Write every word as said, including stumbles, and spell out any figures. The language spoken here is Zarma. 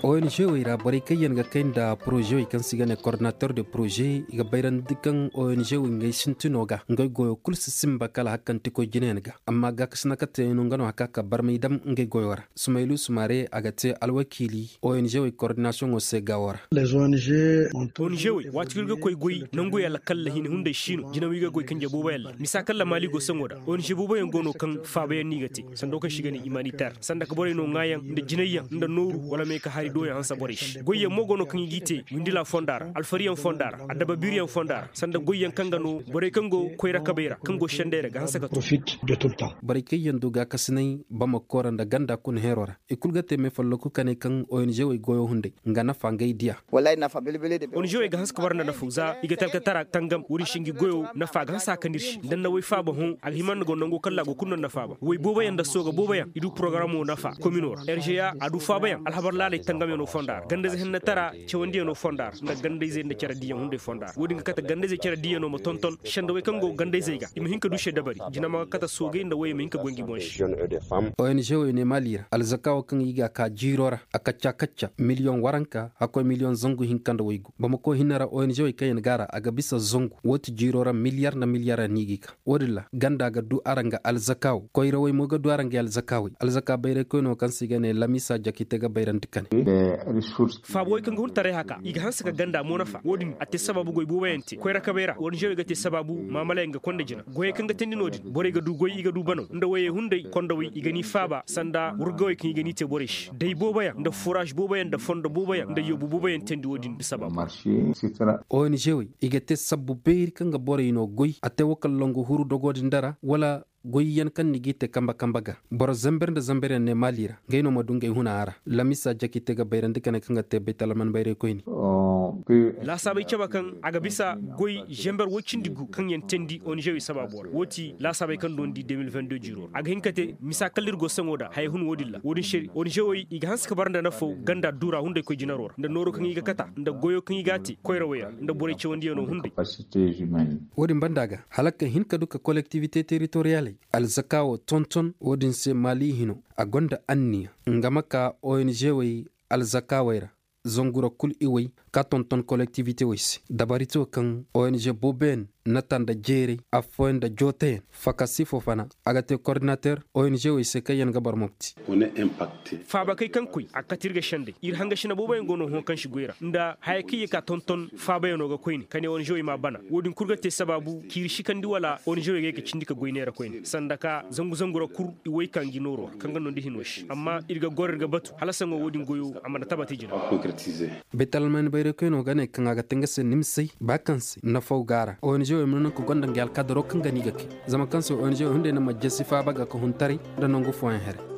O n g wey ra borey kaŋ yaŋ ga kay nda poroze wey kaŋ se i ga ne koordinator de poroze i ga bayrandi kaŋ o n g wey ngey sintino ga ngey goyo kulu si simba kala hakkantikoy jinayaŋ ga. Amma gaakasina kate no nga no haka ka barmay dam ngey goyo ra. Sumaylu sumare a ga te alwakiili o n g wey koordinasiyoŋo se gaawo ra. O n g wey waati kaŋ iri ga koy goy nangu yaŋ ra kala hina hunday si no jina wi ga goy kanje boobo yaŋ ra misa kaŋ ra maali go saŋo ra o n g boobo yaŋ go no kaŋ faaba yaŋ no i ga te sanda wo kaŋ se i ga ne imaniter sanda ka borey no ŋwaayaŋ nda jinay yaŋ nda nooru wala me ka hari do yaŋ hanse borey se goy yaŋ mo go no kaŋ i g'i te windila fonda ra alfari yaŋ fonda ra adabba biiri yaŋ fonda ra sanda goy yaŋ kaŋ ga no borey kaŋ go koyra kabey ra kaŋ go senday ra ga hanse ka to. Borey kaŋ yaŋ du gaakasinay bamako ra nda ganda kuna heero ra i kulu ga te me folloku ka ne kaŋ o n g wey goyo hunday nga nafa ngey diya. O n g wey ga hanse ka bara nda nafa za i ga talkatara tangam wo- din se ngi goyo nafa ga hanse a kande iri se nda ni na way faaba hõ a ga hima nda go nango kaŋ ra a go kulu no ni na faaba way boobo yaŋ nda sooga boobo yaŋ i du porogaramo nafa komino ra r g a a du faaba yaŋ alhabar laaley tangamyaŋo fonda ra gandayze hennatara cawandiyano fonda ra nda gandayzey nda care diiyaŋ hunday fonda ra wo- din ga kate gandayzey care diiyaŋo ma tonton sendawey kaŋ go gandayzey ga i ma hin ka du se dabari jina ma ga kate soogey nda wayey ma hin ka goy ngi boŋ se. O n g wey ne maali ra alzaka wo kaŋ i ga a ka jiiro ra a kacca kacca miliyoŋ waranka hakkoy miliyoŋ zangu hinka nda waygu bamako hinne ra o n g wey kaŋ yaŋ ga a ra a ga bisa zangu wo- ti jiiro ra miliyar nda miliyar yaŋ no i g'i ka wo- din ra ganda ga du araŋ ga alzaka wo koyrawey mo ga du araŋ ga alzaka wey alzaka bayraykoyno kaŋ se i ga ne lamisa jakite ga bayrandi kane. Faabo wey kaŋ ga hun taray haka i ga hanse ka ganda mo nafa wo- din a te sabaabu goy boobo yaŋ te koyra kabey ra o n g wey ga te sabaabu maamala yaŋ ga konda jina goyey kaŋ ga teendi no- din borey ga du goy i ga du banaw nda wayey hunday kondawey i ga ni faaba sanda wurgawey kaŋ i ga ni te borey se day boobo yaŋ nda furaaz boobo yaŋ nda fondo boobo yaŋ nda yoobu boobo yaŋ teendi wo- din sabaabu. O n g wey i ga te sabbu beeri kaŋ ga borey no goy a te wo kala longu huru dogo din dara wala goyyaŋ kaŋ ni g'i te kambe kambe ga boro zamber nda zamber yaŋ ne maali ra ngey no ma du ngey huna a ra lamisa jaki te ga bayrandi kane kaŋ ga te baytalman bayray koyne. Laasaabey cabe kaŋ a ga bisa goy zamber woy cindi gu kaŋ yaŋ teendi o n g wey sabaabo ra wo- ti laasaabey kaŋ dondi de mil vingt deux jiiro ra a ga hin ka te misa kala iri go saŋo da haya hun wo- din ra wo- din se o n g wey i ga hanse ka bara nda nafaw ganda duura hunday koy jinaro ra nda nooro kaŋ i ga kata nda goyo kaŋ i ga a te koyrawey ra nda borey cawandiyano hunday. Wo- din banda ga hala ka hin ka du ka kolektivite teritoriyaley alzaka wo tonton wo- din se maali hino a gonda anniya nga ma ka o n g wey alzaka wey ra zangu ra kulu iwey ka tonton kolektivite wey se dabarito kaŋ o n g boobo yaŋ nata nda jeeray affooyaŋ nda jootayaŋ fakasi fo fana a ga te koordinater o n g wey se kaŋ yaŋ ga boro mopti. Faabakey kaŋ koy a ga kate iri ga senday iri hangasina boobo yaŋ go no hõ kaŋ si goy ra nda haya kaŋ ye ka tonton faabayaŋo ga koyne ka ne o n g wey m'a bana wo- din kulu ga te sabaabu ciiri sikandi wala o n g wey ga ye ga cindi ka goy neera koyne sanda ka zangu zangu ra kulu i woy ka ngi nooro kaŋ ga nondi hino se amma iri ga goro iri ga batu hala saŋo wo- din goyo a mana tabati jina. Baytalman bayray koyno ga ne kaŋ a ga te nga se nimsey ba kaŋ se nafaw ga a ra o n g wey ma no naŋ ka gonda ngey alkadaro kaŋ ga no i ga kay zama kaŋ se o n g wey hunday no ma jesi faaba ga ka hun taray nda nangu fooyaŋ haray.